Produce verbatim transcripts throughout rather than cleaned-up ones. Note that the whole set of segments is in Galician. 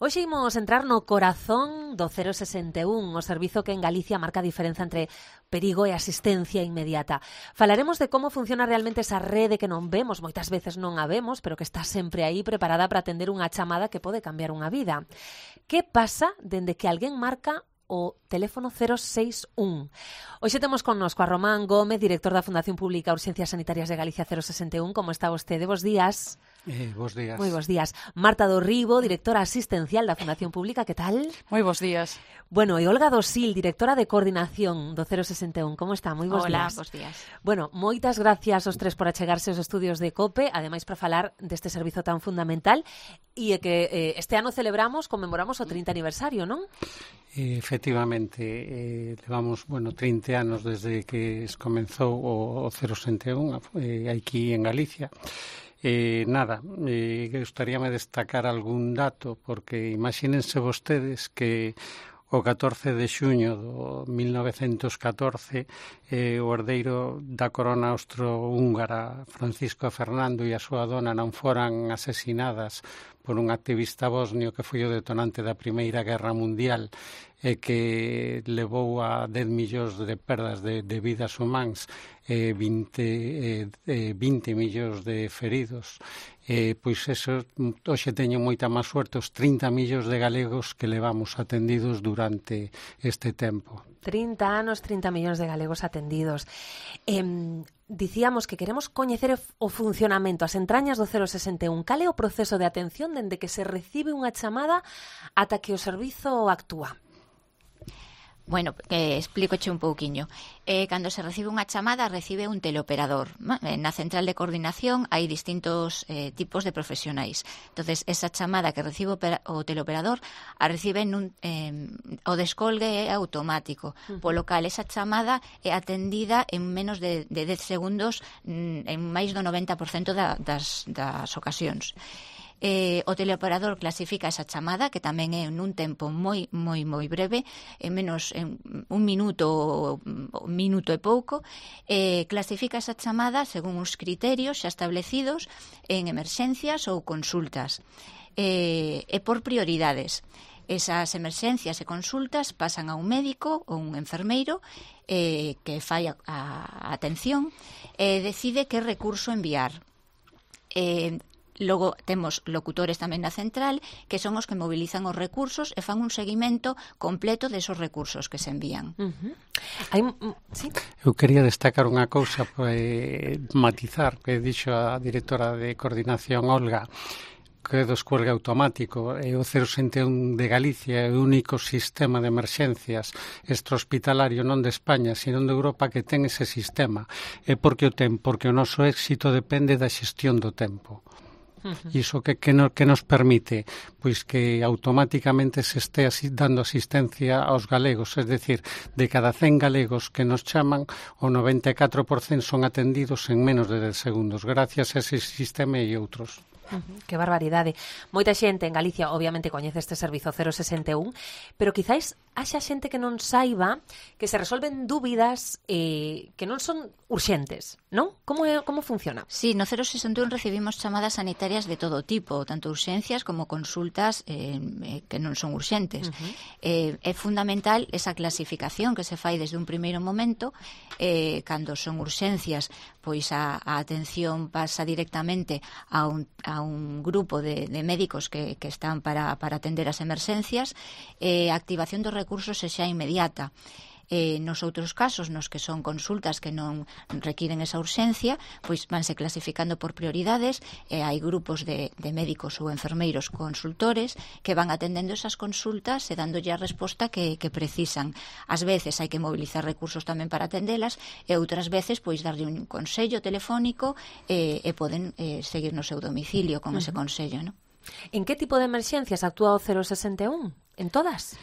Hoxe imos entrar no corazón do cero sesenta e un, o servizo que en Galicia marca a diferenza entre perigo e asistencia inmediata. Falaremos de como funciona realmente esa rede que non vemos, moitas veces non a vemos, pero que está sempre aí preparada para atender unha chamada que pode cambiar unha vida. Que pasa dende que alguén marca o teléfono cero seis un? Hoxe temos connosco a Román Gómez, director da Fundación Pública Urxencias Sanitarias de Galicia cero sesenta e un. Como está vostede? Bos días. Eh, bos días. Moi bos días. Marta do Ribo, directora asistencial da Fundación Pública, que tal? Moi bos días. Bueno, e Olga Dosil, directora de coordinación do cero sesenta e un. Como está? Moi bos Hola, días. bos días. Bueno, moitas gracias aos tres por achegarse aos estudios de COPE, ademais para falar deste servizo tan fundamental e que eh, este ano celebramos, conmemoramos o trinta aniversario, non? Eh, efectivamente, eh, levamos, bueno, trinta anos desde que comenzou o, o cero sesenta e un eh, aquí en Galicia. Eh, nada, eh, gustaríame destacar algún dato, porque imagínense vostedes que o catorce de xuño do mil novecentos catorce eh, o herdeiro da corona austro-húngara Francisco Fernando e a súa dona non foran asesinadas por un activista bosnio que foi o detonante da Primeira Guerra Mundial e que levou a dez millóns de perdas de, de vidas humanas, e vinte, eh, eh, vinte millóns de feridos. Eh, pois eso, hoxe teño moita máis suerte os trinta millóns de galegos que levamos atendidos durante este tempo. trinta anos, trinta millóns de galegos atendidos. Eh, dicíamos que queremos coñecer o funcionamento, as entrañas do cero sesenta e un. Cal é o proceso de atención dende que se recibe unha chamada ata que o servizo actúa? Bueno, eh, explícoche un pouquiño. Eh, cando se recibe unha chamada, recibe un teleoperador. Na central de coordinación hai distintos eh, tipos de profesionais. Entonces, esa chamada que recibe o teleoperador a recibe nun, eh, o descolgue é automático, uh-huh. Polo cal esa chamada é atendida en menos de, de dez segundos en máis do noventa por cento da, das, das ocasións. Eh, o teleoperador clasifica esa chamada, que tamén é nun tempo moi, moi, moi breve, en menos en un minuto, un minuto e pouco, eh, clasifica esa chamada según uns criterios xa establecidos en emerxencias ou consultas, eh, e por prioridades. Esas emerxencias e consultas pasan a un médico ou un enfermeiro eh, que fai a, a atención e decide que recurso enviar. Eh, Logo temos locutores tamén na central que son os que mobilizan os recursos e fan un seguimento completo desos recursos que se envían. Uh-huh. Hai, ¿sí? Eu quería destacar unha cousa, eh, matizar, que dixo a directora de coordinación Olga, que é do descuelgue automático. E o cero sesenta e un de Galicia é o único sistema de emerxencias extrahospitalario non de España, sino de Europa que ten ese sistema. E por que o ten? Porque o noso éxito depende da xestión do tempo. Uh-huh. Iso que, que, no, que nos permite pois que automáticamente se este así, dando asistencia aos galegos, es decir, de cada cen galegos que nos chaman, o noventa e catro por cento son atendidos en menos de dez segundos, gracias a ese sistema e outros. Uh-huh, que barbaridade. Moita xente en Galicia obviamente coñece este servizo cero sesenta e un, pero quizáis haxa xente que non saiba que se resolven dúbidas eh, que non son urxentes, non? Como, é, como funciona? Sí, no cero sesenta e un recibimos chamadas sanitarias de todo tipo, tanto urxencias como consultas eh, que non son urxentes. Uh-huh. Eh, é fundamental esa clasificación que se fai desde un primeiro momento. Eh, cando son urxencias, pois a, a atención pasa directamente a un, a un grupo de, de médicos que, que están para, para atender as emerxencias. Eh, a activación dos recursos é xa inmediata. Eh, nos outros casos, nos que son consultas que non requiren esa urxencia, pois vanse clasificando por prioridades, e eh, hai grupos de, de médicos ou enfermeiros consultores que van atendendo esas consultas e dándolle a resposta que, que precisan. Ás veces hai que mobilizar recursos tamén para atendelas, e outras veces pois darlle un consello telefónico e, e poden eh, seguir no seu domicilio con uh-huh. ese consello, ¿no? En que tipo de emerxencias actúa o cero sesenta e un? En todas?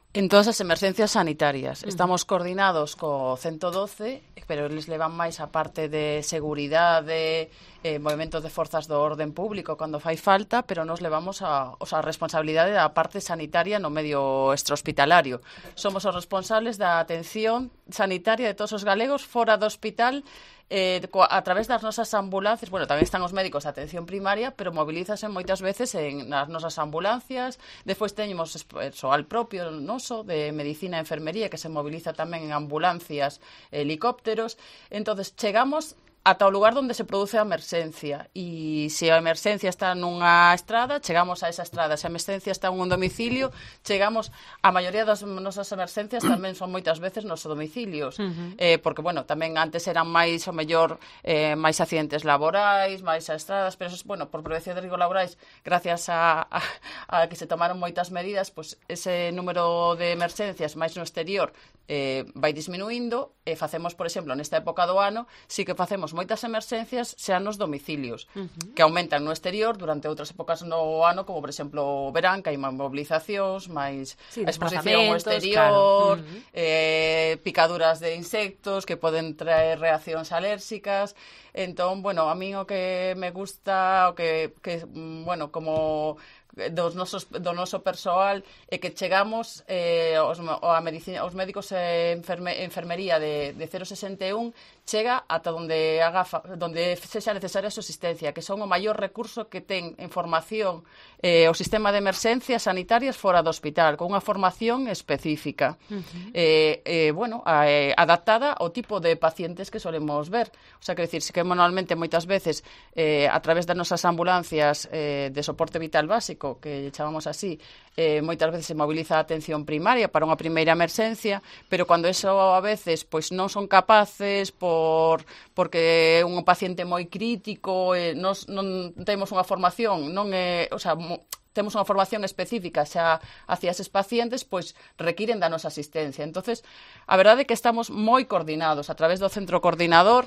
En todas as emerxencias sanitarias. Estamos coordinados co ciento doce, pero eles levan máis a parte de seguridade, eh, movimentos de forzas do orden público cando fai falta, pero nos levamos a, a responsabilidade da parte sanitaria no medio extrahospitalario. Somos os responsables da atención sanitaria de todos os galegos fora do hospital eh, a través das nosas ambulancias, bueno, tamén están os médicos de atención primaria, pero movilízase moitas veces en nas nosas ambulancias. Despois teñemos persoal propio noso de medicina e enfermería que se moviliza tamén en ambulancias, helicópteros. Entonces chegamos ata o lugar onde se produce a emerxencia, e se a emerxencia está nunha estrada, chegamos a esa estrada. Se a emerxencia está en un domicilio, chegamos. A maioría das nosas emerxencias tamén son moitas veces nos domicilios, uh-huh. eh, porque, bueno, tamén antes eran máis, o mellor, eh, máis accidentes laborais, máis a estradas, pero, eso, bueno, por prevención de riscos laborais, gracias a, a, a que se tomaron moitas medidas, pues ese número de emerxencias máis no exterior eh, vai disminuindo, e facemos, por exemplo, nesta época do ano, sí que facemos moitas emerxencias xa nos domicilios, uh-huh. que aumentan no exterior durante outras épocas no ano, como, por exemplo, o verán, que hai máis mobilizacións, máis sí, exposición ao exterior, claro. uh-huh. eh, picaduras de insectos que poden traer reaccións alérxicas. Entón, bueno, a mí o que me gusta, o que, que bueno, como dos nosos, do noso persoal, é que chegamos eh, os, a medicina, os médicos e enferme, enfermería de, de cero sesenta e un chega ata onde haga donde sexa necesaria a súa asistencia, que son o maior recurso que ten en formación eh, o sistema de emerxencias sanitarias fora do hospital, con unha formación específica, uh-huh. eh, eh, bueno, a, eh, adaptada ao tipo de pacientes que solemos ver. O sea, que decir, que manualmente moitas veces eh, a través das nosas ambulancias eh, de soporte vital básico, que chamamos así, eh, moitas veces se moviliza a atención primaria para unha primeira emerxencia, pero cando eso a veces pois non son capaces por porque é un paciente moi crítico, eh, nos, non temos unha formación, non é, o sea, mo, temos unha formación específica xa hacia eses pacientes, pois requiren da nosa asistencia. Entonces, a verdade é que estamos moi coordinados a través do centro coordinador,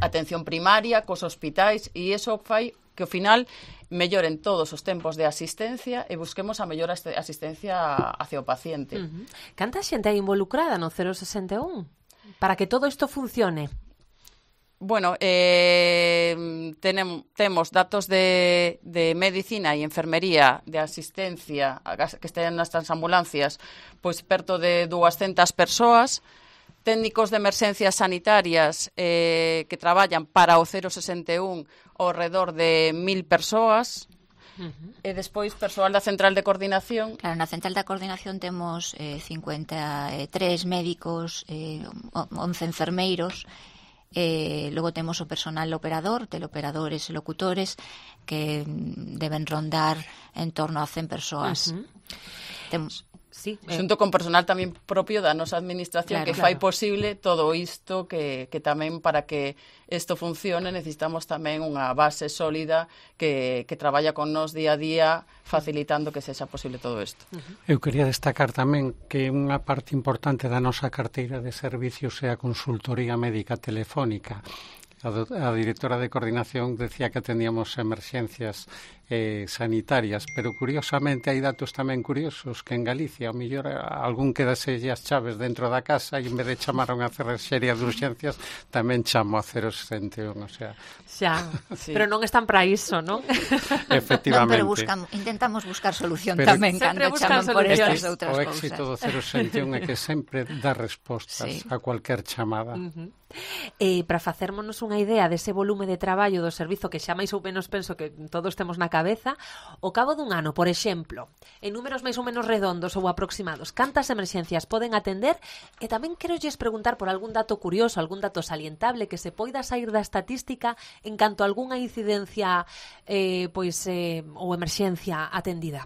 atención primaria, cos hospitais, e iso fai que ao final melloren todos os tempos de asistencia e busquemos a mellor asistencia hacia o paciente. Uh-huh. Canta xente hai involucrada no cero sesenta e un para que todo isto funcione? Bueno, eh, tenem, temos datos de, de medicina e enfermería de asistencia que estén nestas ambulancias, pois perto de duascentas persoas, técnicos de emerxencias sanitarias eh, que traballan para o cero sesenta e un ao redor de mil persoas. Uh-huh. E despois persoal da central de coordinación. Claro, na central de coordinación temos eh, cincuenta e tres médicos, eh, once enfermeiros, eh, logo temos o personal operador, teleoperadores e locutores, que deben rondar en torno a cen persoas. Uh-huh. Temos... Sí, xunto con personal tamén propio da nosa administración, claro, que fai claro. posible todo isto, que, que tamén para que isto funcione necesitamos tamén unha base sólida que, que traballa con nos día a día facilitando que sexa posible todo isto. Uh-huh. Eu quería destacar tamén que unha parte importante da nosa carteira de servicios é a consultoría médica telefónica. A, do, a directora de coordinación decía que teníamos emerxencias eh, sanitarias, pero curiosamente hai datos tamén curiosos que en Galicia, ao mellor algún quedaselle as chaves dentro da casa e en vez de chamar a unha cerrexeria de urxencias tamén chamo a cero sesenta e un, o sea... Xa, sí. Pero non están para iso, non? Efectivamente. Non, pero buscamos, intentamos buscar solución pero tamén cando chaman por estas outras cousas. O éxito do cero sesenta e un é que sempre dá respostas sí. a cualquier chamada. Uh-huh. E para facermonos unha idea dese volume de traballo do servizo que xa máis ou menos penso que todos temos na cabeza, ao cabo dun ano, por exemplo, en números máis ou menos redondos ou aproximados, cantas emerxencias poden atender? E tamén quero lles preguntar por algún dato curioso, algún dato salientable que se poida sair da estatística en canto a algunha incidencia eh, pois eh, ou emerxencia atendida.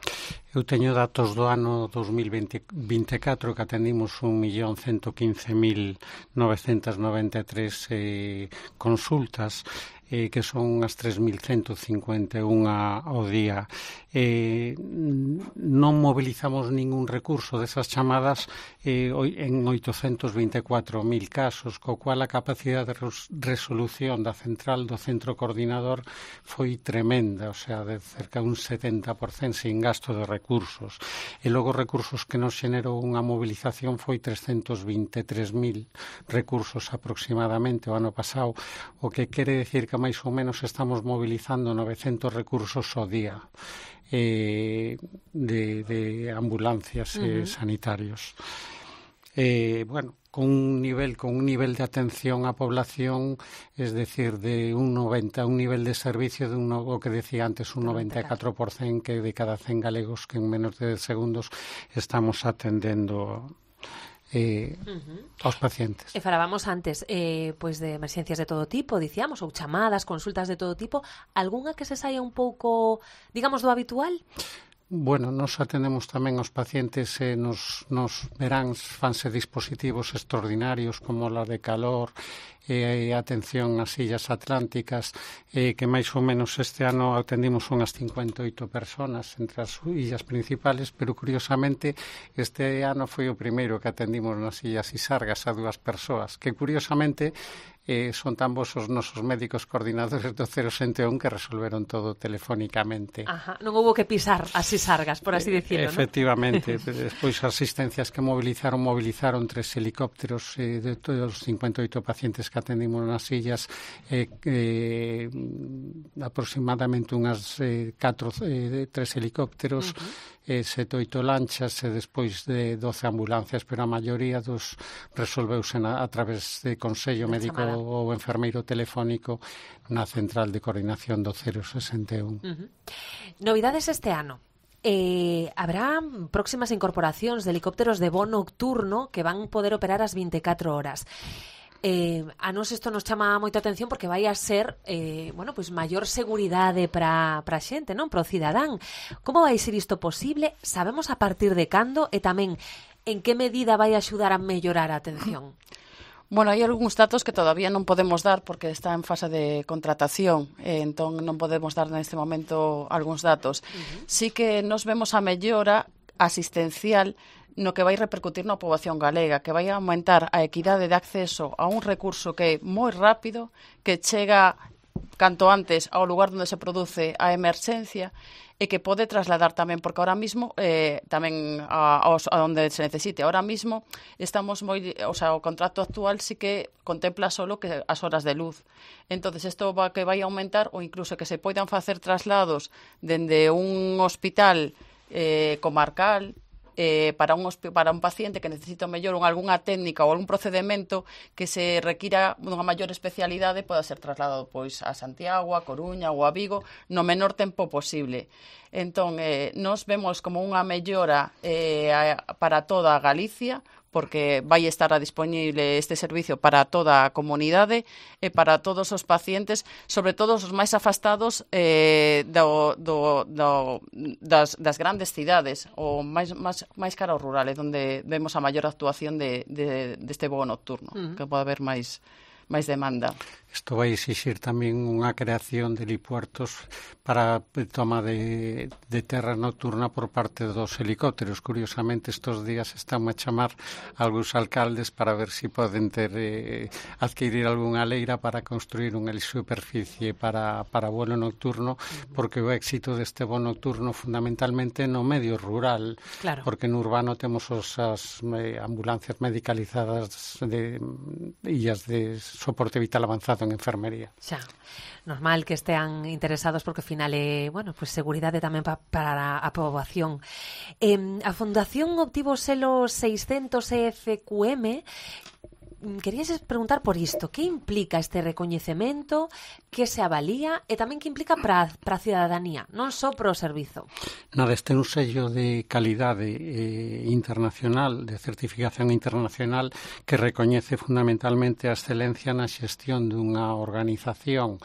Eu teño datos do ano dos mil vinte e catro que atendimos un millón cento quince mil novecentas noventa e tres eh, consultas, eh, que son unhas tres mil cento cincuenta e un ao día. Eh, non mobilizamos ningún recurso desas chamadas eh, en oitocentos vinte e catro mil casos, co cual a capacidade de resolución da central do centro coordinador foi tremenda, o sea, de cerca de un setenta por cento sin gasto de recursos. E logo recursos que nos xenerou unha movilización foi trescentos vinte e tres mil recursos aproximadamente o ano pasado, o que quere decir que máis ou menos estamos mobilizando novecentos recursos ao día. Eh, de, de ambulancias uh-huh. eh, sanitarios. Eh, bueno, con un nivel con un nivel de atención á población, es decir, de un noventa, un nivel de servicio de un, o que decía antes, un noventa e catro por cento que de cada cen galegos que en menos de dez segundos estamos atendendo eh, uh-huh. aos pacientes. E falábamos antes eh, pois de emerxencias de todo tipo, dicíamos, ou chamadas, consultas de todo tipo, algunha que se saia un pouco, digamos, do habitual? Bueno, nos atendemos tamén aos pacientes eh, nos, nos veráns fanse dispositivos extraordinarios como la de calor e eh, atención ás illas atlánticas, eh, que máis ou menos este ano atendimos unhas cincuenta e oito personas entre as illas principales, pero curiosamente este ano foi o primeiro que atendimos nas illas Isargas a dúas persoas, que curiosamente Eh, son tan vos os nosos médicos coordinadores do cero sete un que resolveron todo telefónicamente. Ajá, non houve que pisar as Isargas, por así dicirlo, Efectivamente, ¿no? Despois as asistencias que movilizaron, movilizaron tres helicópteros eh, de todos os cincuenta e oito pacientes que atendimos nas illas, eh, eh, aproximadamente unhas eh, catro, eh, tres helicópteros, uh-huh. Eh, sete oito lanchas e despois de doce ambulancias, pero a maioría dos resolveuse na, a través de Consello Médico ou enfermeiro telefónico na central de coordinación do cero sesenta e un. Uh-huh. Novidades este ano. Eh, habrá próximas incorporacións de helicópteros de voo nocturno que van poder operar as vinte e catro horas. Eh, a nos isto nos chama moita atención porque vai a ser eh, bueno, pois maior seguridade para a xente, non? Para o cidadán. Como vai ser isto posible? Sabemos a partir de cando e tamén en que medida vai axudar a mellorar a atención? Bueno, hai algúns datos que todavía non podemos dar porque está en fase de contratación, eh, entón non podemos dar neste momento algúns datos. Uh-huh. Sí que nos vemos a mellora asistencial no que vai repercutir na poboación galega, que vai aumentar a equidade de acceso a un recurso que é moi rápido, que chega canto antes ao lugar onde se produce a emerxencia e que pode trasladar tamén, porque ahora mismo eh, tamén a, a onde se necesite. Ahora mismo estamos moi, o sea, o contrato actual sí que contempla solo que as horas de luz. Entonces isto va que vai aumentar ou incluso que se poidan facer traslados dende un hospital eh, comarcal Eh, para, un, para un paciente que necesita mellor algunha técnica ou algún procedimento que se requira unha maior especialidade poda ser trasladado pois a Santiago, a Coruña ou a Vigo no menor tempo posible. Entón, eh, nos vemos como unha mellora eh, para toda a Galicia, porque vai estar a disponible este servicio para toda a comunidade e para todos os pacientes, sobre todo os máis afastados eh, do, do, do, das, das grandes cidades, ou máis, máis, máis cara ao rural, é onde vemos a maior actuación de, de, deste voo nocturno, uh-huh. que pode haber máis, máis demanda. Isto vai exixir tamén unha creación de helipuertos para toma de, de terra nocturna por parte dos helicópteros. Curiosamente, estes días están a chamar algúns alcaldes para ver se si poden ter eh, adquirir algunha leira para construir unha superficie para, para vuelo nocturno, porque o éxito deste voo nocturno fundamentalmente no medio rural, claro. Porque no urbano temos os, as eh, ambulancias medicalizadas de illas de soporte vital avanzado en enfermería. Xa, normal que estean interesados porque ao final é, bueno, pues seguridade tamén pa, para a poboación. Eh, a Fundación obtivo o selo seiscentos E F Q M. Querías preguntar por isto, que implica este recoñecemento, que se avalía e tamén que implica para a cidadanía, non só para o servizo? Nada, este é un sello de calidade eh, internacional, de certificación internacional, que recoñece fundamentalmente a excelencia na xestión dunha organización.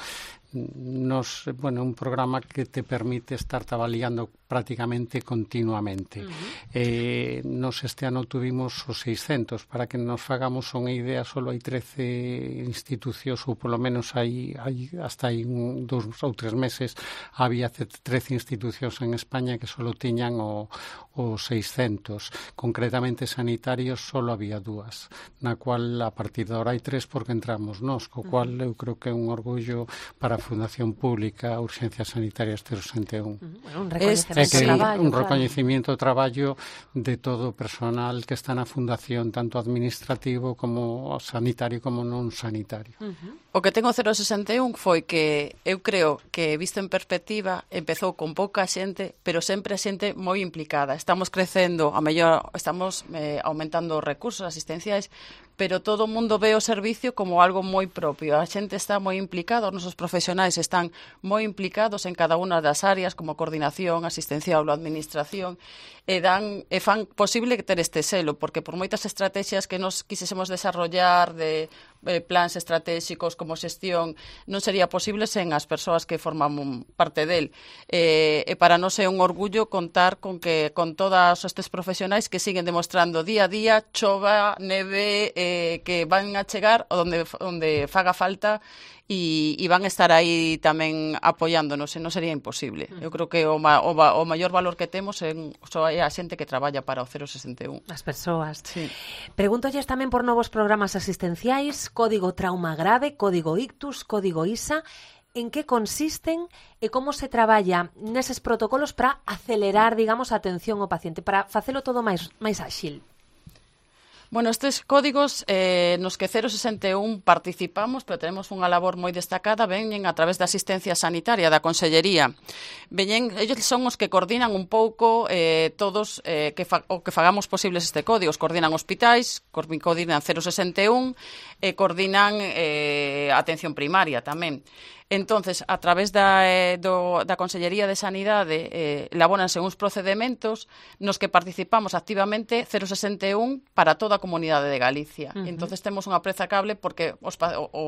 Nos, bueno, un programa que te permite estar avaliando prácticamente continuamente. Uh-huh. Eh, nos este ano tuvimos os seiscentos, para que nos fagamos unha idea, solo hai trece institucións, ou polo menos hai, hai hasta hai un, dous ou tres meses había trece institucións en España que solo tiñan o, o seiscentos. Concretamente sanitarios solo había dúas, na cual a partir de ahora hai tres porque entramos nós, co cual eu creo que é un orgullo para a Fundación Pública Urxencias Sanitarias cero sesenta e un. Bueno, un recoñecemento que, do traballo, un claro. recoñecemento do traballo de todo o personal que está na Fundación, tanto administrativo como sanitario como non sanitario. Uh-huh. O que ten o cero sesenta e un foi que eu creo que, visto en perspectiva, empezou con pouca xente, pero sempre a xente moi implicada. Estamos crecendo, a mellor estamos eh, aumentando os recursos asistenciais, pero todo o mundo ve o servicio como algo moi propio. A xente está moi implicada, os nosos profesionais están moi implicados en cada unha das áreas, como coordinación, asistencial ou administración, e dan e fan posible ter este selo, porque por moitas estrategias que nos quisésemos desarrollar de eh, plans estratégicos como xestión, non sería posible sen as persoas que forman parte del. Eh, e para nós é un orgullo contar con que con todos estes profesionais que siguen demostrando día a día, chova, neve, eh, que van a chegar onde, onde faga falta e, e van a estar aí tamén apoiándonos, e non sería imposible. Eu creo que o, ma, o, o maior valor que temos é, é a xente que traballa para o cero sesenta e un. As persoas. Sí. Pregúntolles tamén por novos programas asistenciais, Código Trauma Grave, Código Ictus, Código I S A, en que consisten e como se traballa neses protocolos para acelerar, digamos, a atención ao paciente, para facelo todo máis máis áxil. Bueno, estes códigos eh, nos que cero sesenta e un participamos, pero tenemos unha labor moi destacada, veñen a través da asistencia sanitaria, da Consellería. Veñen, ellos son os que coordinan un pouco eh, todos eh, que fa, o que fagamos posibles este código. Coordinan hospitais, coordinan cero sesenta e un e coordinan eh, atención primaria tamén. Entonces, a través da, eh, do, da Consellería de Sanidade eh, elabóranse uns procedementos nos que participamos activamente cero sesenta e un para toda a comunidade de Galicia. Uh-huh. Entonces, temos unha preza cable porque os, o, o,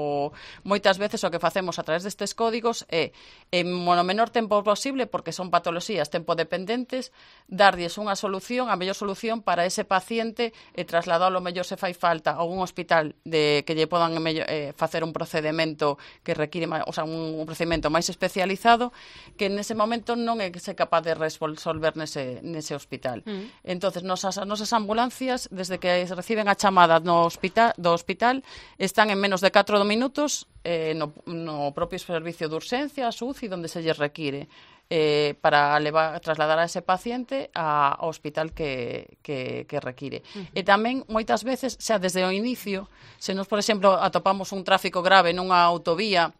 moitas veces o que facemos a través destes códigos é, en o menor tempo posible, porque son patoloxías tempo dependentes, darlles unha solución, a mellor solución para ese paciente e trasladalo mellor se fai falta a un hospital de que lle podan mellor, eh, facer un procedemento que require, o sea, un procedimento máis especializado que nese momento non é se capaz de resolver nese, nese hospital. Mm. Entonces, nosas, nosas ambulancias, desde que reciben a chamada no hospital, do hospital, están en menos de catro minutos eh, no, no propio servicio de urxencia, a S U C I, onde se lle require. Eh, para levar, trasladar a ese paciente a, ao hospital que, que, que require. Uh-huh. E tamén, moitas veces, xa desde o inicio, se nos, por exemplo, atopamos un tráfico grave nunha autovía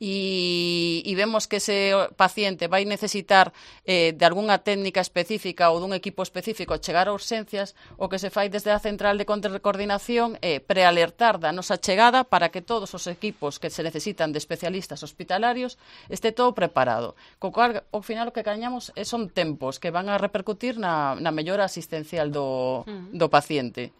e, e vemos que ese paciente vai necesitar eh, de algunha técnica específica ou dun equipo específico chegar a urxencias, o que se fai desde a central de coordinación é prealertar da nosa chegada para que todos os equipos que se necesitan de especialistas hospitalarios este todo preparado. Co cual, ao final, o que gañamos son tempos que van a repercutir na, na mellora asistencial do, do paciente.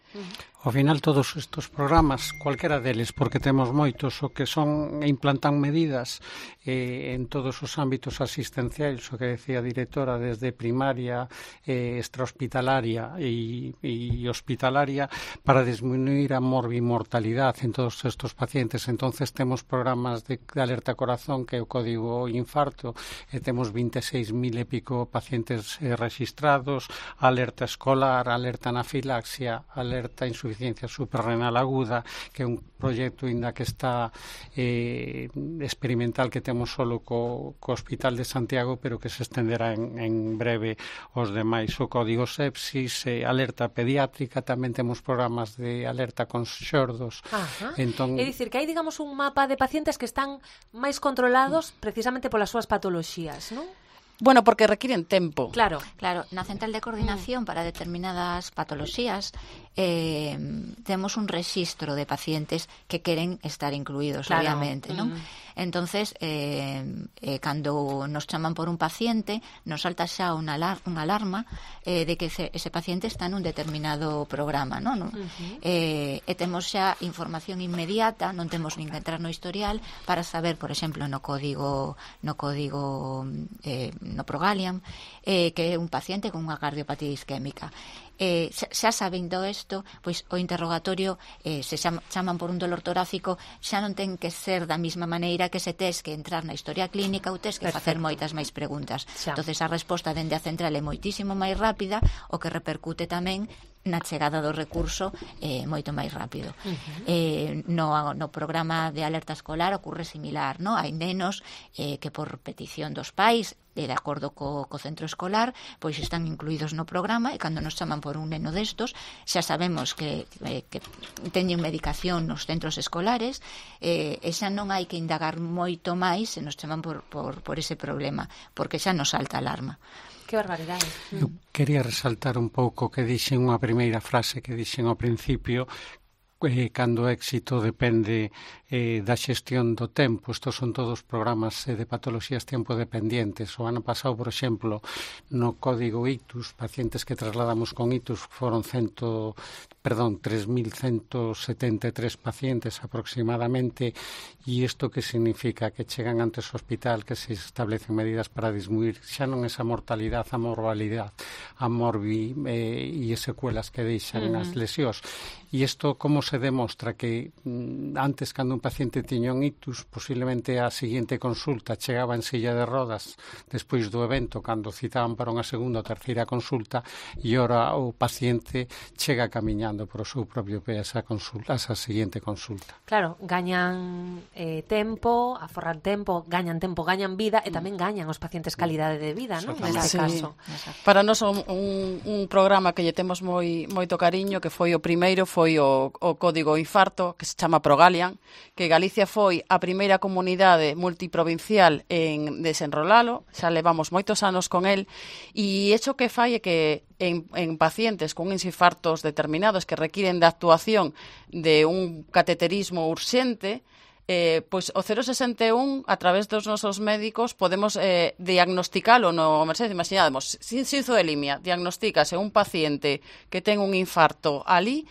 Ao final, todos estes programas, cualquera deles, porque temos moitos, o que son implantan medidas eh, en todos os ámbitos asistenciais, o que decía a directora, desde primaria, eh, extrahospitalaria e, e hospitalaria, para disminuir a morbimortalidade en todos estes pacientes. Entonces temos programas de, de alerta corazón, que é o código infarto, e temos vinte e seis mil e pico pacientes eh, registrados, alerta escolar, alerta anafilaxia, alerta insuficiencia suprarrenal aguda, que é un proxecto ainda que está eh, experimental, que temos solo co, co Hospital de Santiago, pero que se estenderá en, en breve os demais. O código sepsis, eh, alerta pediátrica, tamén temos programas de alerta con xordos. Entón, é dicir, que hai, digamos, un mapa de pacientes que están máis controlados precisamente polas súas patoloxías, non? Bueno, porque requiren tempo. Claro, claro. Na central de coordinación para determinadas patoloxías eh, temos un rexistro de pacientes que queren estar incluídos, claro, obviamente, non? Mm. Entonces, eh, eh, cando nos chaman por un paciente, nos salta xa unha, alar unha alarma eh, de que ese, ese paciente está nun determinado programa, non? Uh-huh. eh, e temos xa información inmediata, non temos nin que entrar no historial para saber, por exemplo, no código no código eh, no Progaliam, eh, que é un paciente con unha cardiopatía isquémica. Eh, xa, xa sabendo isto, pois o interrogatorio, eh, se chama, chaman por un dolor torácico, xa non ten que ser da mesma maneira que se tes que entrar na historia clínica ou tes que Perfecto. Facer moitas máis preguntas. Xa. Entonces a resposta dende a central é moitísimo máis rápida, o que repercute tamén na chegada do recurso eh, moito máis rápido. Uh-huh. Eh, no, no programa de alerta escolar ocorre similar, no? Hai nenos eh, que por petición dos pais, de acordo co, co centro escolar, pois están incluídos no programa, e cando nos chaman por un neno destos, xa sabemos que, eh, que teñen medicación nos centros escolares, eh, e xa non hai que indagar moito máis se nos chaman por, por, por ese problema, porque xa nos salta a alarma. Que barbaridade. Eu quería resaltar un pouco que dixen unha primeira frase que dixen ao principio, eh, cando o éxito depende eh, da xestión do tempo. Estos son todos programas eh, de patologías tempo dependientes. O ano pasado, por exemplo, no código ictus, pacientes que trasladamos con ictus foron cento, perdón, tres mil ciento setenta e tres pacientes aproximadamente. E isto que significa? Que chegan antes ao hospital, que se establecen medidas para disminuir xa non esa mortalidade, a morbalidade, a morbi eh, e as secuelas que deixan uh-huh. as lesións. E isto como se demostra? Que mm, antes, cando un paciente tiña un ictus, posiblemente a seguinte consulta chegaba en silla de rodas despois do evento, cando citaban para unha segunda ou terceira consulta, e ora o paciente chega camiñando por o seu propio pé a esa, consulta, a esa seguinte consulta. Claro, gañan eh, tempo, aforran tempo, gañan tempo, gañan vida, e tamén gañan os pacientes calidade de vida, non? Neste sí. caso. Para nós un, un, un programa que lle temos moi moito cariño, que foi o primeiro, foi o, o Código Infarto, que se chama Progalian, que Galicia foi a primeira comunidade multiprovincial en desenrolalo, xa levamos moitos anos con el, e iso que fai é que en, en pacientes con uns infartos determinados que requiren da actuación de un cateterismo urxente, Eh, pois o cero sesenta e un, a través dos nosos médicos, podemos eh, diagnosticalo no emerxencia. Imaginademos, sin sinzodelimia, diagnostícase un paciente que ten un infarto ali,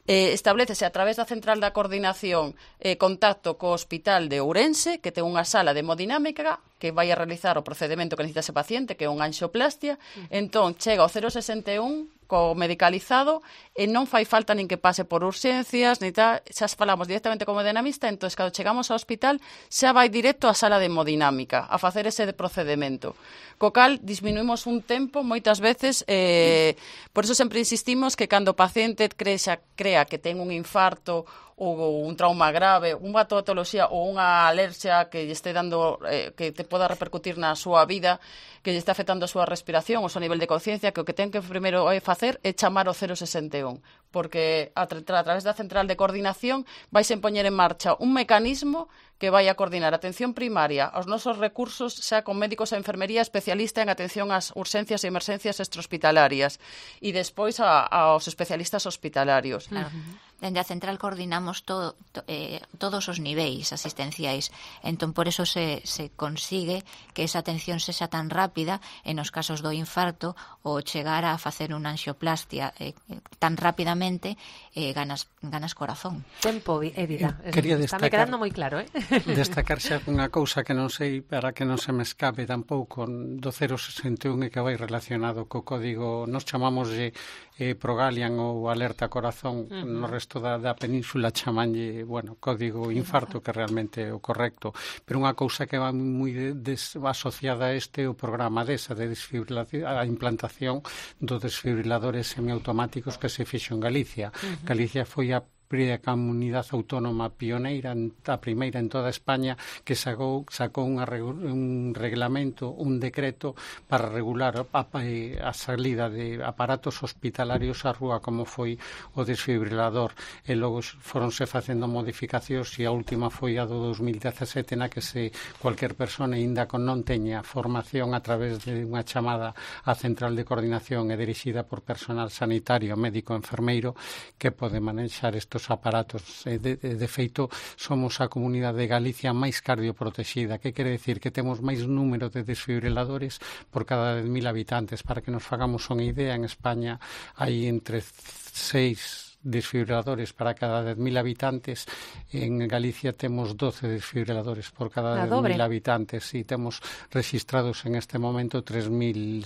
eh, establecese a través da central da coordinación eh, contacto co hospital de Ourense, que ten unha sala de hemodinámica que vai a realizar o procedimento que necesita ese paciente, que é unha anxioplastia. Uh-huh. Entón, chega o cero sesenta e un co medicalizado e non fai falta nin que pase por urxencias, ni tal, xa falamos directamente como hemodinamista, entón, cando chegamos ao hospital, xa vai directo á sala de hemodinámica a facer ese procedimento. Co cal, disminuímos un tempo, moitas veces, eh, por eso sempre insistimos que cando o paciente crea, crea que ten un infarto ou un trauma grave, unha patoloxía ou unha alerxia que lle este dando, eh, que te poda repercutir na súa vida, que lle está afectando a súa respiración, o seu nivel de conciencia, que o que ten que primeiro facer é chamar o cero sesenta e un, porque a, tra a través da central de coordinación vais a poñer en marcha un mecanismo que vai a coordinar a atención primaria, os nosos recursos, xa con médicos e enfermería especialista en atención ás urxencias e emerxencias extrahospitalarias, e despois a, aos especialistas hospitalarios. Claro. Dende a central coordinamos todo, to, eh, todos os niveis asistenciais. Entón, por eso se, se consigue que esa atención sexa tan rápida en os casos do infarto ou chegar a facer unha anxioplastia eh, tan rapidamente eh, ganas, ganas corazón. Tempo e vida. Quería Está me quedando moi claro, eh? Destacar xa unha cousa que non sei, para que non se me escape tampouco, do cero sesenta e un e que vai relacionado co código, nos chamamos de eh, Progalian ou Alerta Corazón, uh-huh. no resto da, da península chamanlle, bueno, código infarto, que realmente é o correcto, pero unha cousa que va moi de, des, asociada a este o programa desa de desfibrilación, a implantación dos desfibriladores semiautomáticos que se fixo en Galicia. Uh-huh. Galicia foi a a comunidade autónoma pioneira, a primeira en toda España, que sacou, sacou unha, un reglamento, un decreto para regular a, a salida de aparatos hospitalarios á rúa, como foi o desfibrilador, e logo foronse facendo modificacións, e a última foi a do dos mil dezasete, na que se cualquier persona ainda con non teña formación a través de unha chamada á central de coordinación e dirixida por personal sanitario, médico, enfermeiro, que pode manexar estos aparatos. De, de, de feito, somos a comunidade de Galicia máis cardioprotexida, que quere decir que temos máis número de desfibriladores por cada dez mil habitantes. Para que nos fagamos unha idea, en España hai entre seis desfibriladores para cada dez mil habitantes. En Galicia temos doce desfibriladores por cada dez mil habitantes, e temos registrados en este momento tres mil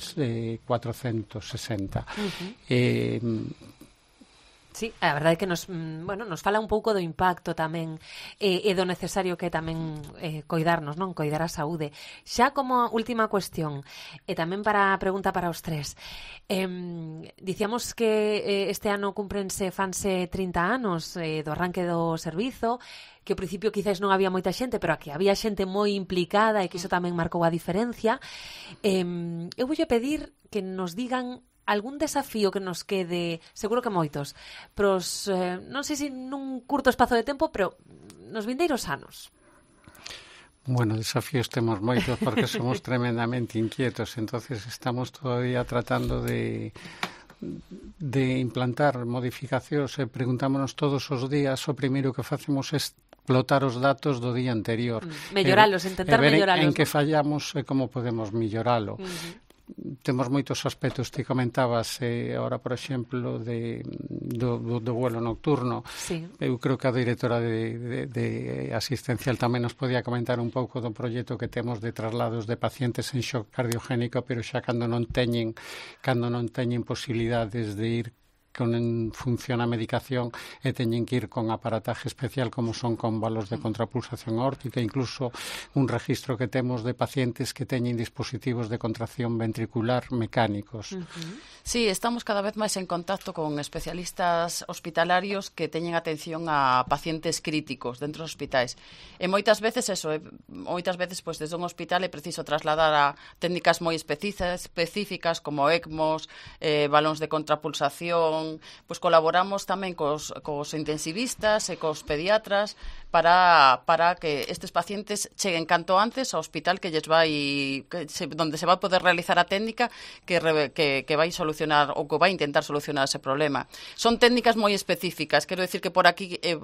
cuatrocentos sesenta. Uh-huh. eh, Sí, a verdade é que nos, bueno, nos fala un pouco do impacto tamén e, e do necesario que é tamén eh, coidarnos, non? Coidar a saúde. Xa como última cuestión, e tamén para a pregunta para os tres. Eh, dicíamos que eh, este ano cumprense fanse trinta anos eh, do arranque do servizo, que ao principio quizás non había moita xente, pero aquí había xente moi implicada e que iso tamén marcou a diferencia. Eh, eu voulle pedir que nos digan algún desafío que nos quede, seguro que moitos, pros, eh, non sei se nun curto espazo de tempo, pero nos vindeiros anos. Bueno, desafíos temos moitos porque somos tremendamente inquietos, entonces estamos todavía tratando de de implantar modificacións e preguntámonos todos os días, o primeiro que facemos é explotar os datos do día anterior. Mm, melloralos, e, intentar e ver melloralos. En, en que fallamos e como podemos melloralo. Uh-huh. Temos moitos aspectos, ti comentabas eh, ahora, por exemplo, de, do, do, do vuelo nocturno. Sí. Eu creo que a directora de, de, de asistencial tamén nos podía comentar un pouco do proxecto que temos de traslados de pacientes en shock cardiogénico, pero xa cando non teñen cando non teñen posibilidades de ir con en función a medicación e teñen que ir con aparataje especial como son con valos de contrapulsación aórtica, incluso un registro que temos de pacientes que teñen dispositivos de contracción ventricular mecánicos. Uh-huh. Sí, estamos cada vez máis en contacto con especialistas hospitalarios que teñen atención a pacientes críticos dentro dos hospitais. E moitas veces eso, eh, moitas veces pois desde un hospital é preciso trasladar a técnicas moi específicas como ECMOs, eh, balóns de contrapulsación. Pois colaboramos tamén cos, cos intensivistas e cos pediatras para, para que estes pacientes cheguen canto antes ao hospital que lles vai que se, donde se vai poder realizar a técnica que, que, que vai solucionar ou que vai intentar solucionar ese problema. Son técnicas moi específicas, quero decir que por aquí eh,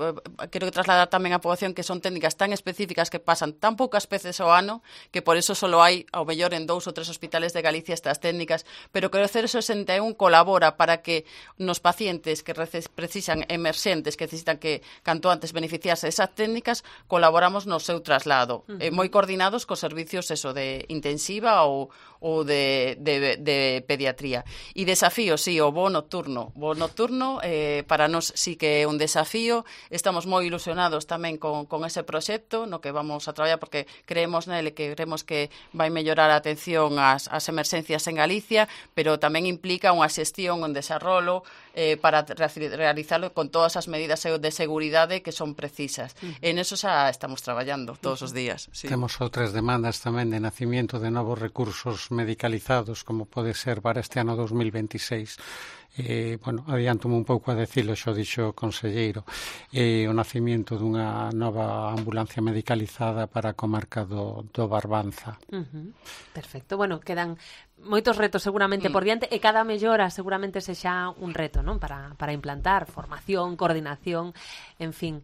quero trasladar tamén a poboación que son técnicas tan específicas que pasan tan poucas veces ao ano que por eso solo hai ao mellor en dous ou tres hospitales de Galicia estas técnicas, pero que o cero sesenta e un colabora para que nos pacientes que precisan emerxentes, que necesitan que canto antes beneficiarse esas técnicas, colaboramos no seu traslado, uh-huh. eh, moi coordinados cos servicios eso de intensiva ou, ou de, de, de pediatría. E desafío, sí, o voo nocturno. O voo nocturno eh, para nós sí que é un desafío, estamos moi ilusionados tamén con, con ese proxecto no que vamos a traballar porque creemos nele que creemos que vai mellorar a atención ás, ás emerxencias en Galicia, pero tamén implica unha xestión, un desarrollo eh, para realizarlo con todas as medidas de seguridade que son precisas. Uh-huh. En eso xa estamos traballando todos os días. Sí. Temos outras demandas tamén de nacimiento de novos recursos medicalizados, como pode ser para este ano dos mil veintiséis. Eh, bueno, adiántome un pouco a decirlo, xo dixo o conselleiro, eh, o nacimiento dunha nova ambulancia medicalizada para a comarca do, do Barbanza. Uh-huh. Perfecto, bueno, quedan moitos retos seguramente mm. por diante e cada mellora seguramente sexa un reto, non? Para, para implantar formación, coordinación, en fin.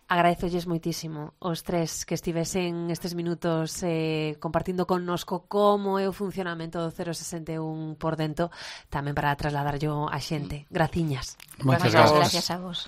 Agradezolles moitísimo os tres que estivesen estes minutos eh, compartindo connosco como é o funcionamento do cero sesenta e un por dentro, tamén para trasladar yo a xente. Graciñas. Moitas gracias. Gracias a vos.